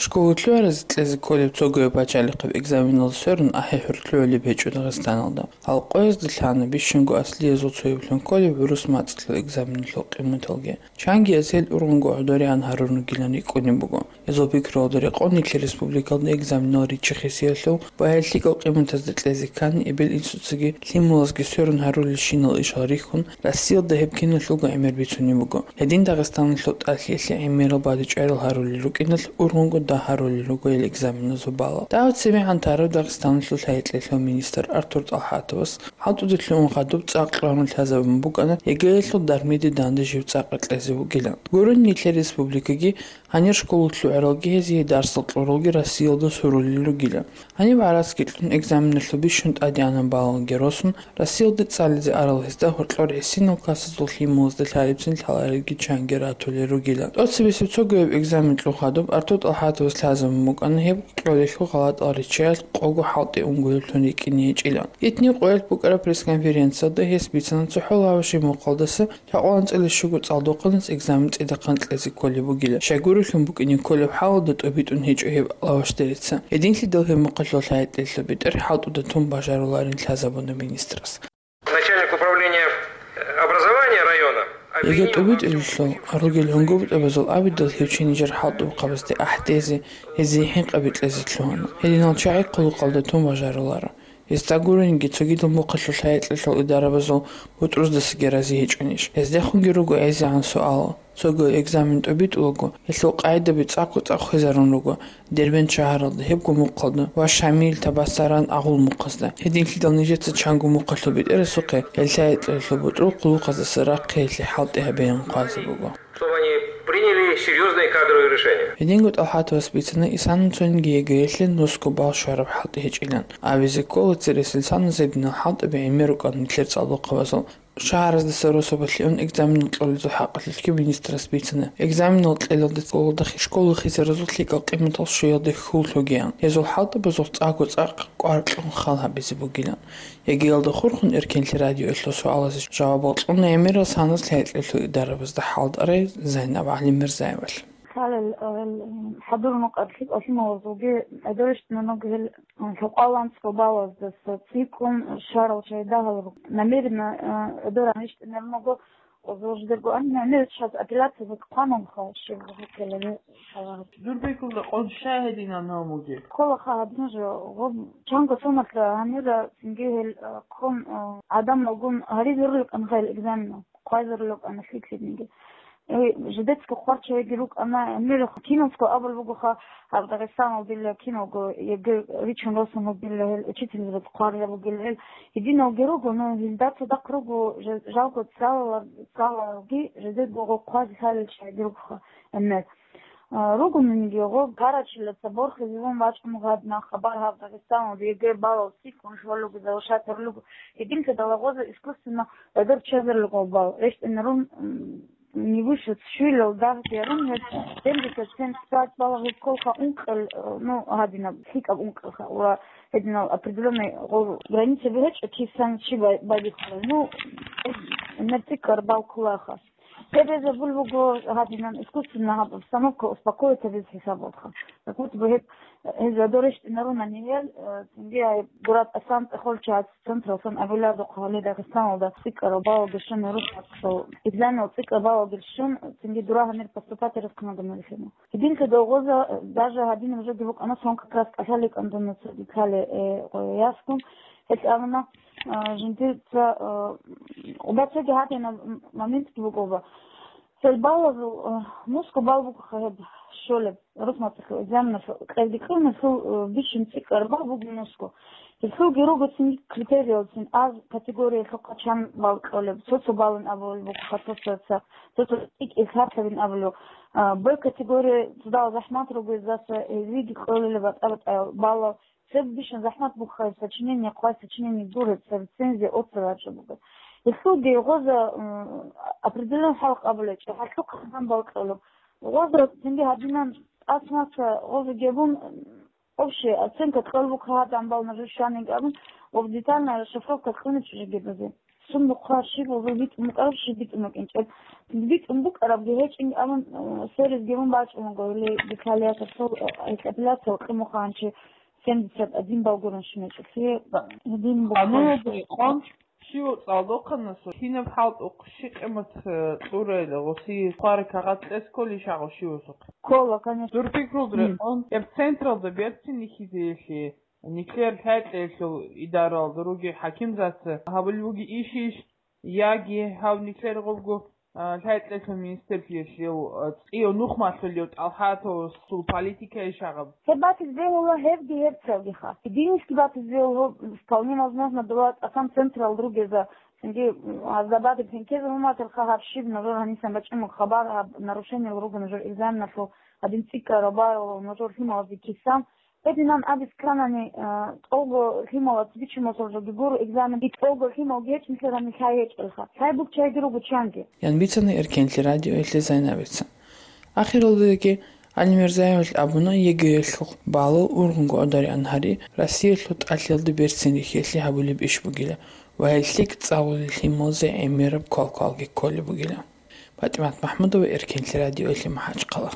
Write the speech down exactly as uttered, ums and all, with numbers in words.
Школа лъугӀаразе кьезе кколеб цогояб пачалихъаб экзаменалда сверун ахӀи-хӀур лъугӀулеб гьечӀо Дагъистаналда. Гьал къоязда лъана бищунго аслиязул цояблъун кколеб гӀурус мацӀалъул экзаменалъул къиматалги. Чанги гьел ургъунго гӀодорегӀан гьарун ругилан рикӀкӀунеб буго. Гьезул пикруялда рекъон нилъер республикалда экзаменал риччахъесиялъул ва гьел лъикӀал къиматазда кьезе ккани, эбел-инсуцаги лъималазги сверун гьарулелщинал ишал рихьун, Россиялда гьеб киналъулго гӀемер бицунеб буго. Гьедин Дагъистаналъул тӀалъиялъе гӀемерал бадибчӀварал гьарулел рукӀиналъ ургъунго дагь гьарулел руго гьел экзаменазул балал. Дагьаб цебегӀан тарав Дагъистаналъул лъай-кьеклъиялъул министр Артур ТӀалхӀатовас хӀалтӀуда лъугӀун хадуб цӀакъ кьван лъазабун букӀана ЕГЭ-ялъул дармиде дандажив цӀакъ кьезе вугилан. Гурин нилъер республикаги, гьанир школа лъугӀаралги гьезие дарсал кьуралги Россиялда сурулел ругилан. Гьаниб гӀарацги кьун экзаменалъул бищун тӀадегӀанаб балалги росун, Россиялде цӀализе арал гьезда гьоркьор гӀисинал классазул лъималазда лъалебцин лъаларелги чанги ратулел ругилан. ТӀоцебесеб цогояб экзамен кьун хадуб Артур ТӀалхӀатовас лъазабун букӀана гьеб кьолелъул гъалатӀал риччаялъ къого хӀалтӀи унгояблъун рикӀкӀине гьечӀилан. Итни къоялъ букӀараб пресс-конференциялда гьес бицана цохӀо лаваши мухъалдаса лъакъван цӀилищего цӀалдохъанас экзамен цӀидахъан кьезе кколеб бугила. Щайгурелъун букӀине кколеб хӀалалда тӀобитӀун гьечӀо гьеб лавашдарица. Гьединлъидал гьеб мухъалъул лъай-кьеклъиялъул бетӀер хӀалтӀуда тун бажаруларин лъазабуна министрас. Начальник управления образования района ЕГЭ обвинил тӀобитӀулелъул ругел гӀунгутӀабазул абидал гьев чи нижер хӀалтӀухъабазде ахӀдезе, гьезие хӀинкъаби кьезе лъугьана. Гьединал чагӀи хъулухъалда тун бажаруларо. Гьесда гуринги, цогидал мухъалъул лъай-кьеклъиялъул идарабазул бутӀруздасаги рази гьечӀонищ? Гьездехунги руго гӀезегӀан суал. Цого экзамен тӀобитӀулаго, гьелъул къагӀидаби цӀакъго-цӀакъ хвезарун руго Дербент шагьаралда, гьебго мухъалда ва Шамил, Табасаран агъул мухъазда. Гьединлъидал нижеца чанго мухъалъул бетӀерасухъе гьел лъай-кьеклъиялъул бутӀрул хъулухъаздаса рахъиялъе хӀалтӀи гьабеян хъвазе буго. Чтобы они приняли серьёзные кадровые решения. Гьединго ТӀалхӀатовас бицана исанацунги ЕГЭ-ялъе нусго балл щвараб хӀалтӀи гьечӀилан. Абизе ккола, цересел саназул гьединал хӀалтӀаби гӀемер рукӀана нилъер цӀалдохъабазул. Шагьараздаса росабалъе ун экзаменал кьолезул хӀакъалъулъги министрас бицана. Экзаменал кьелалде цӀалулда школа хисаразул лъикӀал къиматал щвеялде хьул лъугеян. Гьезул хӀалтӀабазул цӀакъго-цӀакъ кӀвар кьун хал гьабизе бугилан. ЕГЭ-ялда хурхун Эркенлъи радиоялъул суалазе жавабал кьуна гӀемерал саназул лъай-кьеклъиялъул идарабазда хӀалтӀарай Зайнаб ГӀалимирзаевалъ. Лъалел, э, хӀадур мукъаблъи лъималазулги гӀодор рещтӀинарунго гьел, э, лъукъаланцӀго балаздаса цӀикӀкӀун щварал чагӀи дагьал руго. Намеренно, э, гӀодор рещтӀинарунго озорждерго, ан намеренно щас апелляциязда хъвананха щиб гьуккелали шагьараб. Дур бекулда къон щай гьединан гьав мугеб? Кколаха гьадин жо, гъоб чанго соналъа гьанира цинги гьел, э, ккун, э, гӀадамалгун гьаризе рукӀана гьел экзаменал. Хъвазарулеб ана лъикӀлъидниги. Э, жидецаго хъварччайги рукӀана, гьанир киназго абулеб бугоха, гьаб Дагъистаналдила киналго ЕГЭ ричун росун вугила гьел, учительзабаз хъварила вугила гьел. Гьединалги руго, ну, гьелда цадахъ руго, жа-, жалго цалалар-, цалалги жидерго гъо хъвазе лъалел чагӀиги ругоха, гьанир. А, ругониги гъо, гьарачила ца борхизевун вачӀун гьадна хабар гьаб Дагъистаналда ЕГЭ балал цӀикӀкӀун щвалуго, завышать гьарулего. Гьединлъидал гъоза искусственно гӀодор чезарулего бал. РещтӀинарун, м, не выше щуялъул дагьаб ярун гьез семьдесят семь балал гьез кколха ункъел, э, ну, гьадинаб, лъикӀаб ункъелха, ва гьединал определённый гъо-, границаби гьечӀо, кисан чи бай-, байбихьулел. Ну, гьеб, гьеб цӀикӀкӀар бал кколаха. Гьеб гьезабул буго гьадинан искусственно гьаб обстановка успокоить гьабиз хӀисабалха. Как будто бы гьеб, гьез гӀодор рещтӀинарунани гьел, э, цинги гьай гураб тӀасан цӀехолчагӀаз централсан абуладухъ гьале Дагъистаналда цӀикӀкӀарал балалги щун, русскоялъул экзаменал цӀикӀкӀарал балалги щун, цинги дура гьанир поступать рехъ кканаго мехина. Гьединлъидал гъоза, э, даже гьадинаб жоги букӀана, сон как раз кӀалъаликӀан дуна цоги ккале, э, ясгун, гьелъ абуна, э, жиндир ца, э, уба цоги гьадинаб м-, моментги буго уба. Гьел балазул, э, нусго бал бугоха гьеб щолеб, рус мацӀалъул экзаменалъул кьелги кьуна, гьел, э, бищун цӀикӀкӀараб бал буго нусго. Гьелъулги руго цинги критериялцин, А категориялъухъа чан бал кьолеб, цо-цо балин абулеб бугоха, цо-цоца, цо-цо цӀикӀкӀин лъалебин абулеб. А, Б категория цадахъ захӀмат руго, гьездаса гьезиеги кьолила батӀа-батӀаял балал. Цебе бищун захӀмат бугоха сочинение, хъвай сочинение гуреб, цо рецензия, отзыв гьабичӀеб буго. Гьелъулги гъоза, м, определённый хӀалкъ абулечӀо, гьалъухъа гьанбал кьолеб. Гъоза цинги гьадинан тӀасмаса гъоза гьебун, м, общая оценка кьолеб буго гьадан бал нажер щванин абун, ва детальная расшифровка кьуна чӀужугебазе. Сумбухъа щиб гьезул битӀун букӀараб, щиб битӀун букӀинчӀеб. БитӀун букӀарабги гьечӀин, амма, э, серезги мун бачӀун буго, или, деталиятаб, э, гьикъабилатаб къимухъа гьанчи семьдесят один балл гурун щиничӀелъи. Гьедин буго. Къануналда рекъон, щив цӀалдохъанасул кинаб хӀалтӀухъ, щи къимат, э, кьурайила, гъуси хъвара кагъат кьес кколищ гьагъав щивасухъе? Ккола, конечно. Дур пикрулда рекъон, гьеб централда берцин рихьизеялъе, нилъер лъай-кьеялъул идаралда ругел хӀакимзаца гьабулеб бугеб ишищ, яги гьав нилъер гъобго, а, лъай-кьеялъул министрлъиялъул, а, цӀияв нух малъулев ТӀалхӀатовасул политикайищ гьаб? Гьеб батизе бегьула гьебги гьебцалгиха. Гьединищги батизе бегьула, вполне возможно, дола тӀасан централ ругеза, цинги, м, гьазда батиб хӀинкезабуматалха гьаб щиб нужер гьанисан бачӀун хабар, гьаб нарушениел руго нужер экзаменалъул, гьадин цӀикӀкӀараб байрал нужер лъималазде кисан. Гьединан абиз кканани, а, тӀолго лъималац бичун босаржоги гуро экзамен, и тӀолго лъимал гьечӀинлъарани лъай гьечӀелха. Лъай букчайги руго чанги. Ян бицана Эркенлъи радиоялъе Зайнабица. Ахиралдаги Алимерзаевалъ абуна, ЕГЭялъухъ балал ургъунго гӀодариан гьари Россиялъул тӀалъиялда берцин рихьиялъе гьабулеб иш бугила ва гьел лъикӀ цӀалулел лъималазе гӀемераб квалквалги кколеб бугила. ПатӀимат МахӀмудова, Эркенлъи радиоялъе, МахӀачхъала.